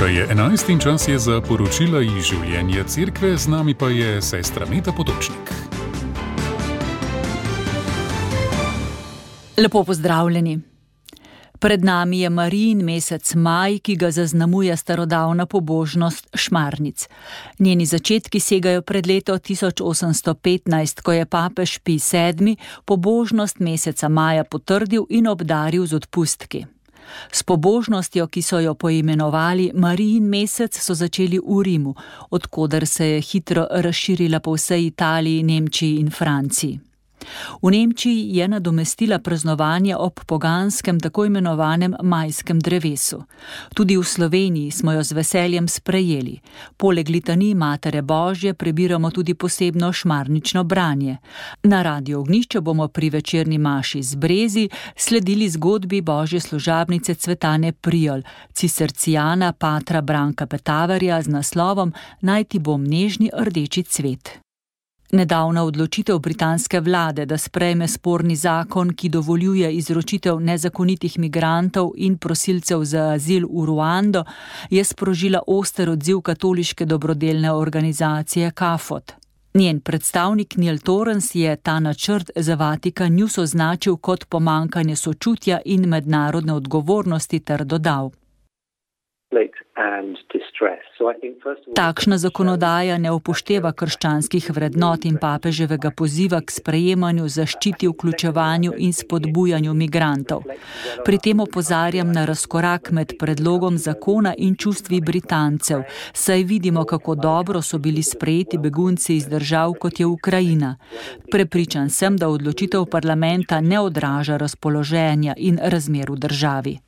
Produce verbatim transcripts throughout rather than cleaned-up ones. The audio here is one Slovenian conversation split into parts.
Ura je enajst in čas je za poročila iz življenja cerkve, z nami pa je sestra Meta Potočnik. Lepo pozdravljeni. Pred nami je Marijin mesec maj, ki ga zaznamuje starodavna pobožnost šmarnic. Njeni začetki segajo pred leto tisoč osemsto petnajst, ko je papež Pij sedmi pobožnost meseca maja potrdil in obdaril z odpustki. S pobožnostjo, ki so jo poimenovali Marijin mesec, so začeli v Rimu, od koder se je hitro razširila po vsej Italiji, Nemčiji in Franciji. V Nemčiji je nadomestila praznovanje ob poganskem tako imenovanem majskem drevesu. Tudi v Sloveniji smo jo z veseljem sprejeli. Poleg litanij Matere Božje prebiramo tudi posebno šmarnično branje. Na Radiu Ognjišče bomo pri večerni maši z brezi sledili zgodbi Božje služabnice Cvetane Prijol, cistercijana patra Branka Petaverja z naslovom Naj ti bom nežni rdeči cvet. Nedavna odločitev britanske vlade, da sprejme sporni zakon, ki dovoljuje izročitev nezakonitih migrantov in prosilcev za azil v Ruando, je sprožila oster odziv katoliške dobrodelne organizacije Kafot. Njen predstavnik Neil Torrens je ta načrt za Vatikan News označil kot pomanjkanje sočutja in mednarodne odgovornosti ter dodal: Takšna zakonodaja ne upošteva krščanskih vrednot in papeževega poziva k sprejemanju, zaščiti, vključevanju in spodbujanju migrantov. Pri tem opozarjam na razkorak med predlogom zakona in čustvi Britancev, saj vidimo, kako dobro so bili sprejeti begunci iz držav, kot je Ukrajina. Prepričan sem, da odločitev parlamenta ne odraža razpoloženja in razmer v državi.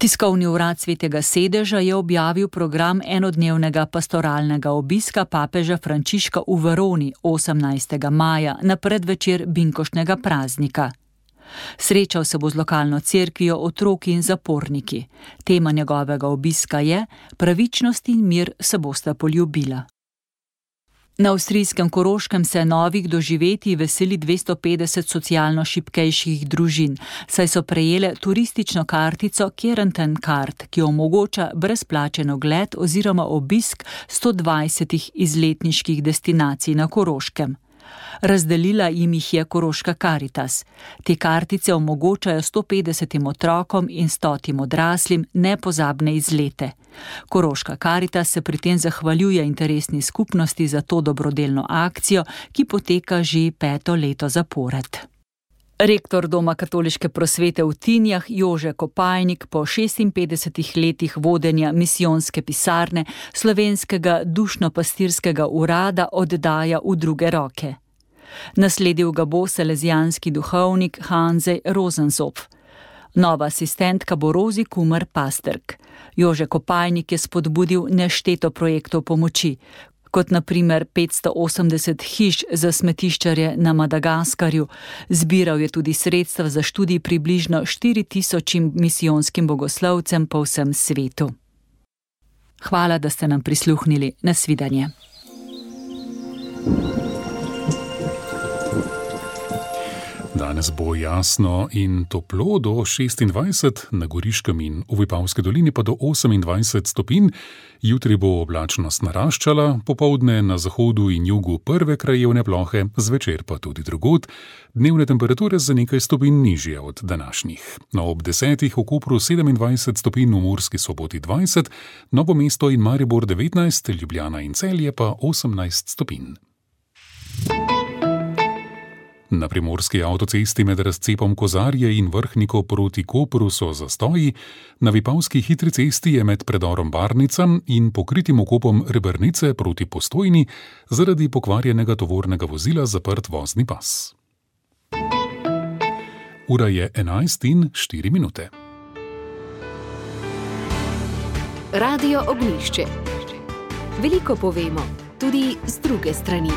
Tiskovni urad Svetega sedeža je objavil program enodnevnega pastoralnega obiska papeža Frančiška v Veroni osemnajstega maja na predvečer binkoštnega praznika. Srečal se bo z lokalno cerkvijo, otroki in zaporniki. Tema njegovega obiska je: pravičnost in mir se bosta poljubila. Na avstrijskem Koroškem se novih doživetij veseli dvesto petdeset socialno šibkejših družin, saj so prejele turistično kartico Kärnten Card, ki omogoča brezplačen ogled oziroma obisk sto dvajsetih izletniških destinacij na Koroškem. Razdelila jim jih je Koroška Karitas. Te kartice omogočajo sto petdesetim otrokom in stotim odraslim nepozabne izlete. Koroška Karitas se pri tem zahvaljuje interesni skupnosti za to dobrodelno akcijo, ki poteka že peto leto zapored. Rektor Doma katoliške prosvete v Tinjah Jože Kopajnik po šestinpetdesetih letih vodenja misijonske pisarne slovenskega dušno-pastirskega urada oddaja v druge roke. Nasledil ga bo salezijanski duhovnik Hanzej Rosenzopf. Nova asistentka bo Rozi Kumer Pasterk. Jože Kopajnik je spodbudil nešteto projektov pomoči, kot na primer petsto osemdeset hiš za smetiščarje na Madagaskarju. Zbiral je tudi sredstva za študij približno štiri tisočim misijonskim bogoslovcem po vsem svetu. Hvala, da ste nam prisluhnili. Nasvidenje. Danes bo jasno in toplo do šestindvajset, na Goriškem in v Vipavski dolini pa do osemindvajset stopinj. Jutri bo oblačnost naraščala, popoldne na zahodu in jugu prve krajevne plohe, zvečer pa tudi drugod. Dnevne temperature za nekaj stopinj nižje od današnjih. No, ob desetih v Kopru sedemindvajset stopinj, v Murski Soboti dvajset, Novo mesto in Maribor devetnajst, Ljubljana in Celje pa osemnajst stopinj. Na primorski avtocesti med razcepom Kozarje in Vrhniko proti Kopru so zastoji, na vipavski hitri cesti je med predorom Barnica in pokritim okopom Rebernice proti Postojni zaradi pokvarjenega tovornega vozila zaprt vozni pas. Ura je enajst in štiri minute. Radio Ognjišče. Veliko povemo, tudi z druge strani.